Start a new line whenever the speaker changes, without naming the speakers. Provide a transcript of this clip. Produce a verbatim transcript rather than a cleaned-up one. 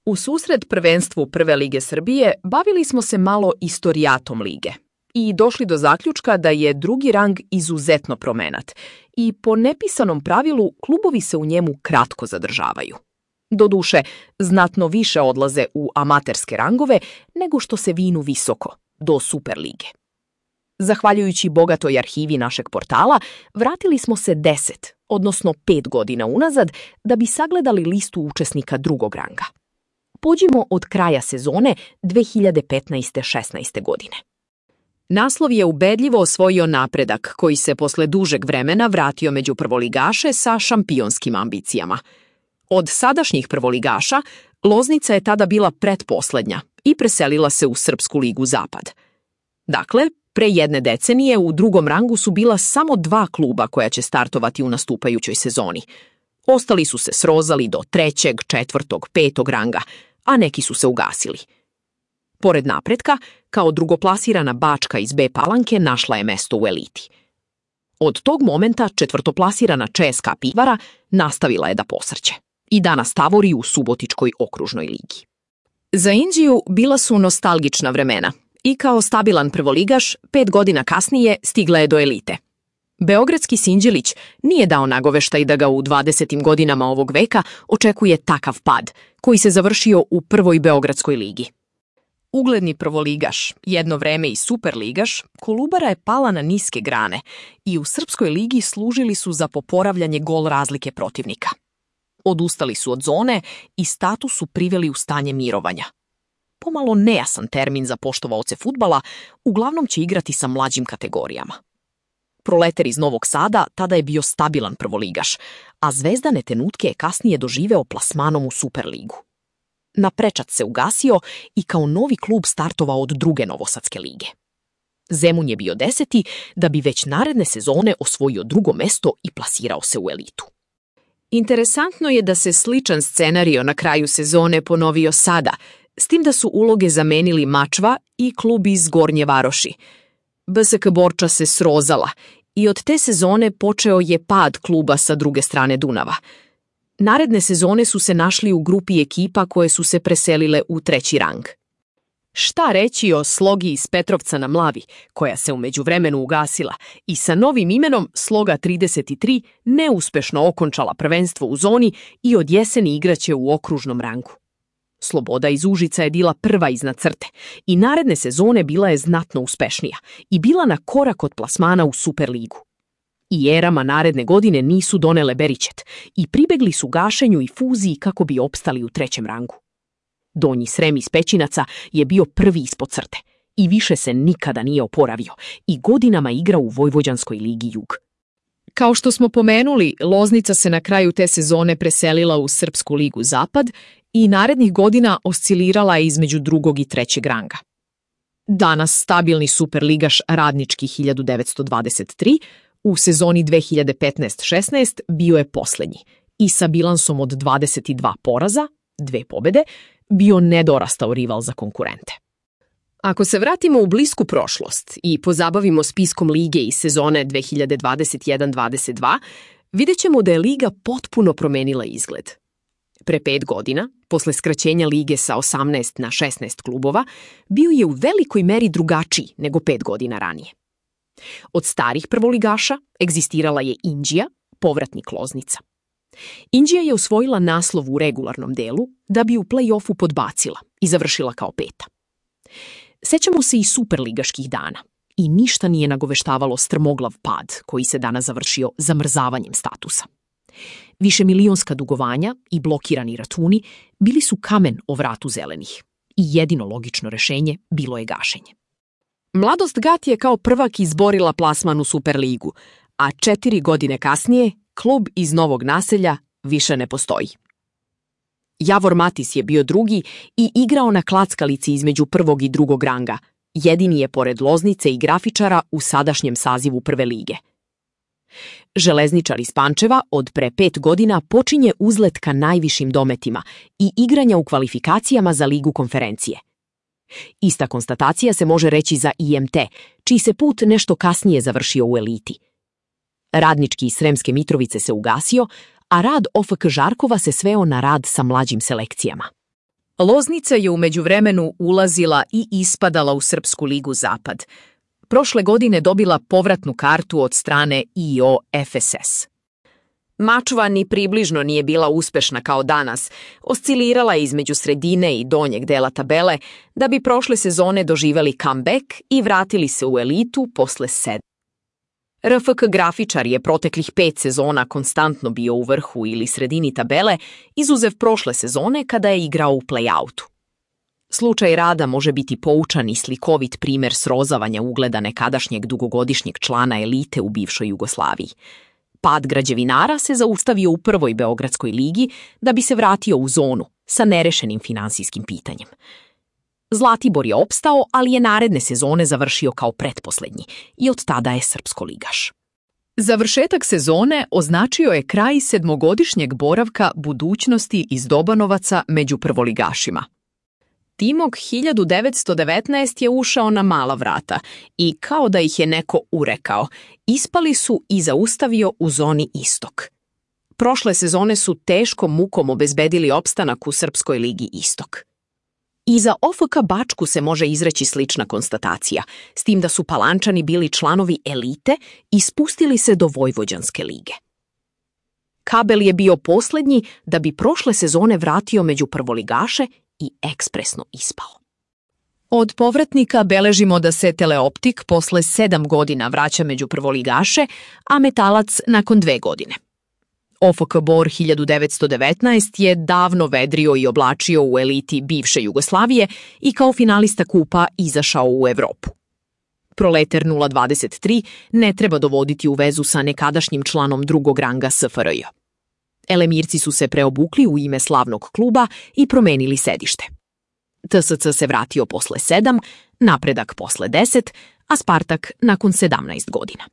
U susret prvenstvu Prve lige Srbije bavili smo se malo istorijatom lige i došli do zaključka da je drugi rang izuzetno promenat i po nepisanom pravilu klubovi se u njemu kratko zadržavaju. Doduše, znatno više odlaze u amaterske rangove nego što se vinu visoko, do Super lige. Zahvaljujući bogatoj arhivi našeg portala, vratili smo se deset, odnosno pet godina unazad, da bi sagledali listu učesnika drugog ranga. Pođimo od kraja sezone dve hiljade petnaeste šesnaeste. godine. Naslov je ubedljivo osvojio Napredak, koji se posle dužeg vremena vratio među prvoligaše sa šampionskim ambicijama. Od sadašnjih prvoligaša, Loznica je tada bila pretposlednja i preselila se u Srpsku ligu Zapad. Dakle, pre jedne decenije u drugom rangu su bila samo dva kluba koja će startovati u nastupajućoj sezoni. Ostali su se srozali do trećeg, četvrtog, petog ranga, a neki su se ugasili. Pored Napretka, kao drugoplasirana Bačka iz B Palanke našla je mesto u eliti. Od tog momenta četvrtoplasirana C S K A Pivara nastavila je da posrće i danas tavori u Subotičkoj okružnoj ligi. Za Inđiju bila su nostalgična vremena i kao stabilan prvoligaš, pet godina kasnije stigla je do elite. Beogradski Sinđelić nije dao nagoveštaj da ga u dvadesetim godinama ovog veka očekuje takav pad, koji se završio u prvoj Beogradskoj ligi. Ugledni prvoligaš, jedno vreme i superligaš, Kolubara je pala na niske grane i u Srpskoj ligi služili su za poporavljanje gol razlike protivnika. Odustali su od zone i status su priveli u stanje mirovanja. Pomalo nejasan termin za poštovaoce fudbala, uglavnom će igrati sa mlađim kategorijama. Proleter iz Novog Sada tada je bio stabilan prvoligaš, a Zvezdane tenutke je kasnije doživeo plasmanom u Superligu. Naprečac se ugasio i kao novi klub startovao od druge Novosadske lige. Zemun je bio deseti da bi već naredne sezone osvojio drugo mesto i plasirao se u elitu. Interesantno je da se sličan scenario na kraju sezone ponovio sada, s tim da su uloge zamenili Mačva i klub iz Gornje Varoši. B S K Borča se srozala i od te sezone počeo je pad kluba sa druge strane Dunava. Naredne sezone su se našli u grupi ekipa koje su se preselile u treći rang. Šta reći o Slogi iz Petrovca na Mlavi, koja se u međuvremenu ugasila i sa novim imenom Sloga trideset tri neuspešno okončala prvenstvo u zoni i od jeseni igraće u okružnom rangu. Sloboda iz Užica je bila prva iznad crte i naredne sezone bila je znatno uspešnija i bila na korak od plasmana u Superligu. I erama naredne godine nisu donele beričet i pribegli su gašenju i fuziji kako bi opstali u trećem rangu. Donji Srem iz Pećinaca je bio prvi ispod crte i više se nikada nije oporavio i godinama igra u Vojvođanskoj ligi Jug. Kao što smo pomenuli, Loznica se na kraju te sezone preselila u Srpsku ligu Zapad i narednih godina oscilirala je između drugog i trećeg ranga. Danas stabilni superligaš Radnički hiljadu devetsto dvadeset tri u sezoni dve hiljade petnaeste šesnaeste bio je poslednji i sa bilansom od dvadeset dva poraza, dve pobede, bio nedorastao rival za konkurente. Ako se vratimo u blisku prošlost i pozabavimo spiskom lige iz sezone dve hiljade dvadeset jedan dvadeset dva, vidjet ćemo da je liga potpuno promenila izgled. Pre pet godina, posle skraćenja lige sa osamnaest na šesnaest klubova, bio je u velikoj meri drugačiji nego pet godina ranije. Od starih prvoligaša egzistirala je Inđija, povratnik Loznica. Inđija je osvojila naslov u regularnom delu da bi u play-offu podbacila i završila kao peta. Sećamo se i superligaških dana i ništa nije nagoveštavalo strmoglav pad koji se danas završio zamrzavanjem statusa. Višemilionska dugovanja i blokirani računi bili su kamen o vratu zelenih i jedino logično rešenje bilo je gašenje. Mladost Gat je kao prvak izborila plasman u Superligu, a četiri godine kasnije klub iz Novog Naselja više ne postoji. Javor Matis je bio drugi i igrao na klackalici između prvog i drugog ranga. Jedini je pored Loznice i Grafičara u sadašnjem sazivu Prve lige. Železničar iz Pančeva od pre pet godina počinje uzlet ka najvišim dometima i igranja u kvalifikacijama za Ligu konferencije. Ista konstatacija se može reći za I M T, čiji se put nešto kasnije završio u eliti. Radnički iz Sremske Mitrovice se ugasio, a rad O F K Žarkova se sveo na rad sa mlađim selekcijama. Loznica je u međuvremenu ulazila i ispadala u Srpsku ligu Zapad. Prošle godine dobila povratnu kartu od strane I O F S S. Mačva ni približno nije bila uspešna kao danas, oscilirala je između sredine i donjeg dela tabele, da bi prošle sezone doživeli comeback i vratili se u elitu posle sedam. R F K grafičar je proteklih pet sezona konstantno bio u vrhu ili sredini tabele, izuzev prošle sezone kada je igrao u play-outu. Slučaj Rada može biti poučan i slikovit primer srozavanja ugleda nekadašnjeg dugogodišnjeg člana elite u bivšoj Jugoslaviji. Pad građevinara se zaustavio u prvoj Beogradskoj ligi da bi se vratio u zonu sa nerešenim finansijskim pitanjem. Zlatibor je opstao, ali je naredne sezone završio kao pretposlednji i od tada je srpskoligaš. Završetak sezone označio je kraj sedmogodišnjeg boravka budućnosti iz Dobanovaca među prvoligašima. Timok hiljadu devetsto devetnaest je ušao na mala vrata i kao da ih je neko urekao, ispali su i zaustavio u zoni Istok. Prošle sezone su teškom mukom obezbedili opstanak u Srpskoj ligi Istok. I za O F K Bačku se može izreći slična konstatacija, s tim da su Palančani bili članovi elite i spustili se do Vojvođanske lige. Kabel je bio poslednji da bi prošle sezone vratio među prvoligaše i ekspresno ispao. Od povratnika beležimo da se Teleoptik posle sedam godina vraća među prvoligaše, a Metalac nakon dve godine. O F K Bor hiljadu devetsto devetnaest je davno vedrio i oblačio u eliti bivše Jugoslavije i kao finalista kupa izašao u Evropu. Proleter nula dvadeset tri ne treba dovoditi u vezu sa nekadašnjim članom drugog ranga S F R J. Elemirci su se preobukli u ime slavnog kluba i promenili sedište. T S C se vratio posle sedam, Napredak posle deset, a Spartak nakon sedamnaest godina.